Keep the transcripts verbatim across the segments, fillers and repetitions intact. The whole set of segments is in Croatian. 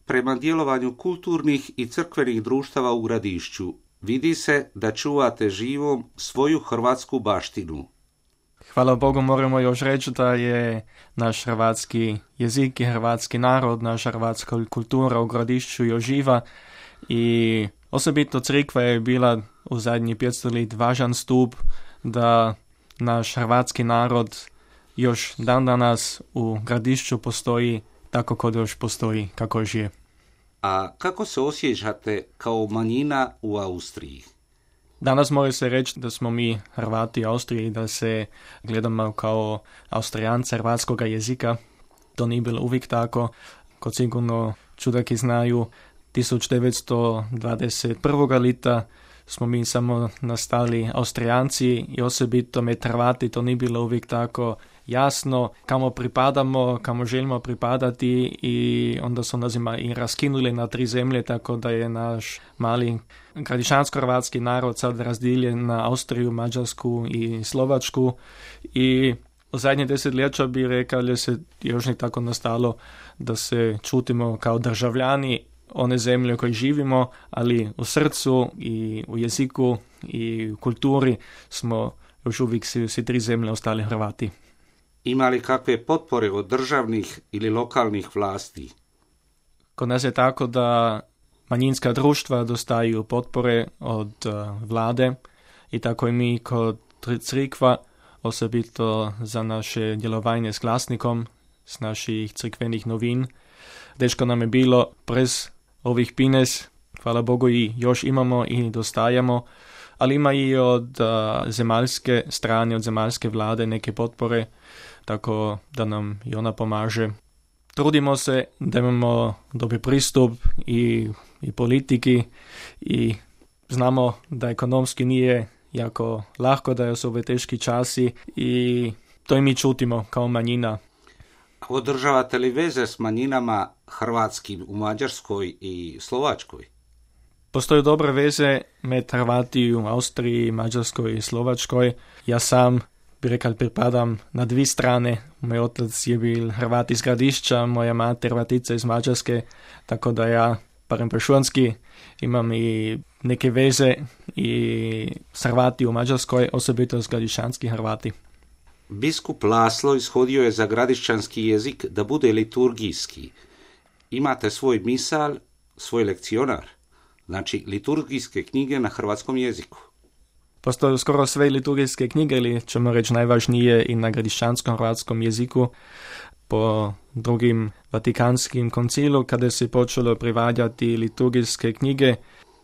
prema djelovanju kulturnih i crkvenih društava u Gradišću. Vidi se da čuvate živom svoju hrvatsku baštinu. Hvala Bogu, moramo još reći da je naš hrvatski jezik i hrvatski narod, naša hrvatska kultura u Gradišću još živa i osobito crkva je bila u zadnjih petsto let važan stup da naš hrvatski narod još dan danas u Gradišću postoji tako kod još postoji, kako još je. A kako se osjećate kao manjina u Austriji? Danas može se reći da smo mi Hrvati Austriji, da se gledamo kao Austrijanci hrvatskog jezika. To nije bilo uvijek tako. Kod sigurno čudaki znaju, tisuća devetsto dvadeset prvog leta smo mi samo nastali Austrijanci i osobito med Hrvati to nije bilo uvijek tako jasno kamo pripadamo, kamo želimo pripadati i onda su nas i raskinuli na tri zemlje, tako da je naš mali gradišćansko-hrvatski narod sad razdjeljen na Austriju, Mađarsku i Slovačku i u zadnje desetljeća bi rekao da se još ne tako nastalo da se čutimo kao državljani one zemlje u kojoj živimo, ali u srcu i u jeziku i u kulturi smo još uvijek svi, svi tri zemlje ostali Hrvati. Ima li kakve potpore od državnih ili lokalnih vlasti? Kod nas je tako da manjinska društva dostaju potpore od uh, vlade i tako i mi kod crkva, osobito za naše djelovanje s glasnikom, s naših crkvenih novin. Teško nam je bilo prez ovih pines, hvala Bogu i još imamo i dostajamo, ali ima i od uh, zemaljske strane, od zemaljske vlade neke potpore, tako da nam i ona pomaže. Trudimo se da imamo dobar pristup i, i politiki i znamo da ekonomski nije jako lahko, da su ove teški časi i to i mi čutimo kao manjina. Održavate li veze s manjinama hrvatskim u Mađarskoj i Slovačkoj? Postoje dobre veze med Hrvati u Austriji, Mađarskoj i Slovačkoj. Ja sam bi rekao pripadam na dvije strane. Moj otac je bil Hrvat iz Gradišća, moja mati Hrvatica iz Mađarske, tako da ja, barem prešunski, imam i neke veze i s Hrvati u Mađarskoj, osobito s gradišćanski Hrvati. Biskup Laslo ishodio je za gradišćanski jezik da bude liturgijski. Imate svoj misal, svoj lekcionar, znači liturgijske knjige na hrvatskom jeziku. Postoje skoro sve liturgijske knjige, ili ćemo reći najvažnije i na gradišćanskom hrvatskom jeziku. Po drugim Vatikanskim koncilu, kada se počelo prevađati liturgijske knjige,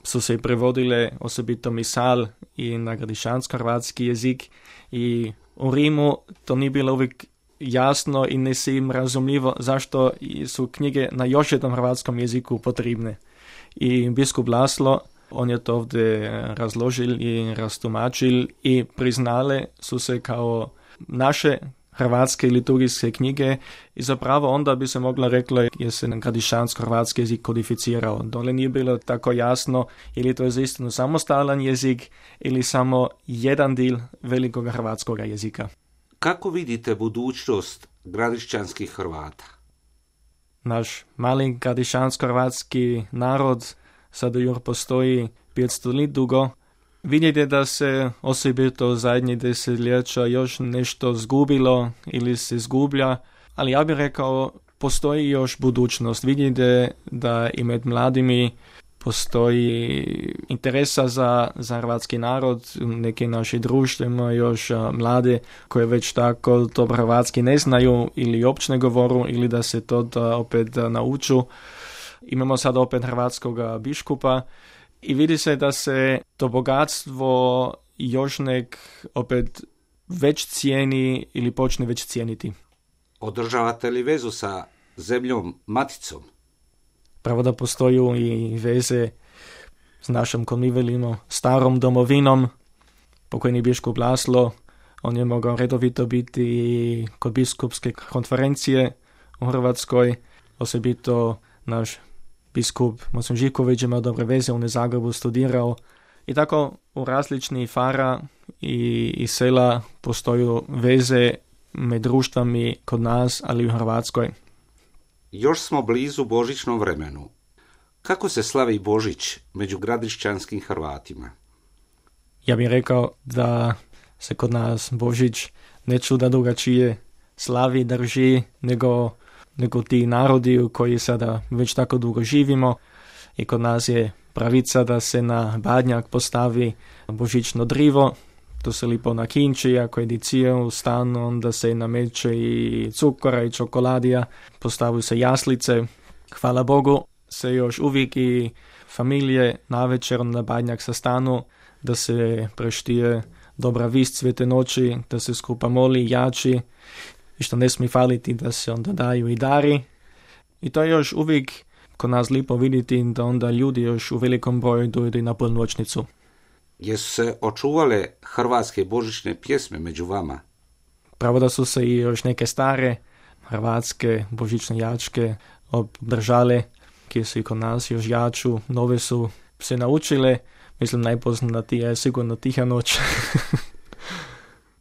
su se prevodile osobito misal i na gradišćansko-hrvatski jezik i u Rimu to nije bilo uvijek jasno i ne se im razumljivo zašto su knjige na još jednom hrvatskom jeziku potrebne. I biskup Laslo, on je to ovdje razložil i rastumačil i priznale su se kao naše hrvatske liturgijske knjige i zapravo onda bi se mogla rekla je se gradišćansko-hrvatski jezik kodificirao. Dole nije bilo tako jasno ili to je zaistinu samostalan jezik ili samo jedan dio velikog hrvatskog jezika. Kako vidite budućnost gradišćanskih Hrvata? Naš mali gradišćansko-hrvatski narod sada još postoji petsto let dugo. Vidite da se osobito zadnjih desetljeća još nešto zgubilo ili se zgublja, ali ja bih rekao postoji još budućnost. Vidite da i med mladimi postoji interesa za, za hrvatski narod. Neki naši društva imaju još a, mlade koje već tako dobro hrvatski ne znaju ili uopće ne govoru ili da se to da opet da nauču. Imamo sad opet hrvatskog biškupa i vidi se da se to bogatstvo još nek opet već cijeni ili počne već cijeniti. Održavate li vezu sa zemljom maticom? Pravo da postoji i veze s našom, ko mi velimo, starom domovinom. Pokojni biškup Laslo, on je mogao redovito biti kod biskupske konferencije u Hrvatskoj, osobito naš biskup Mocen Živković imao dobre veze, on je Zagrebu studirao i tako u različnih fara i, i sela postoju veze med društvami kod nas, ali i u Hrvatskoj. Još smo blizu božićnom vremenu. Kako se slavi Božić među gradišćanskim Hrvatima? Ja bih rekao da se kod nas Božić ne čuda drugačije slavi, drži, nego, nego ti narodi u koji sada već tako dugo živimo. I kod nas je pravica da se na badnjak postavi božićno drivo. To se lipo nakinči, ako je dicija u stanu, onda se nameće i cukora i čokoladija, postavu se jaslice. Hvala Bogu se još uvijek i familije navečer na badnjak sastanu, da se preštije dobra vist svete noći, da se skupa moli, jači, i što ne smije faliti da se onda daju i dari. I to je još uvijek kod nas lipo vidjeti da onda ljudi još u velikom broju dojdu na polnoćnicu. Jesu se očuvale hrvatske božićne pjesme među vama? Pravo da su se i još neke stare hrvatske božićne jačke obdržale, koje su i kod nas još jaču, nove su se naučile. Mislim, najpoznatija je sigurno Tiha noć.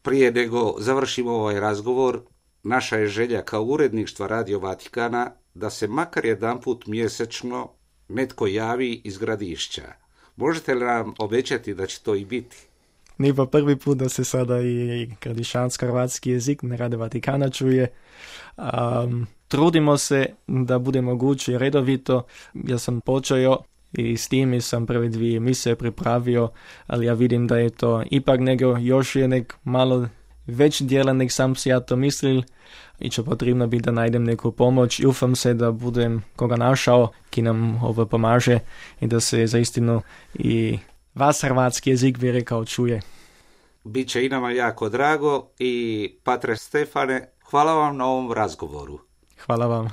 Prije nego završimo ovaj razgovor, naša je želja kao uredništva Radio Vatikana da se makar jedanput mjesečno netko javi iz Gradišća. Možete li nam obećati da će to i biti? Nije pa prvi put da se sada i gradišćansko-hrvatski jezik na Radio Vatikana čuje. Um, trudimo se da bude moguće redovito. Ja sam počeo i s tim sam prve dvije mise pripravio, ali ja vidim da je to ipak nego još je nek malo već dijela nek sam si ja to mislil i će potrebno biti da najdem neku pomoć i ufam se da budem koga našao ki nam ovo pomaže i da se zaistinu i vas hrvatski jezik bi rekao čuje. Biće i nama jako drago i Patre Stefane, hvala vam na ovom razgovoru. Hvala vam.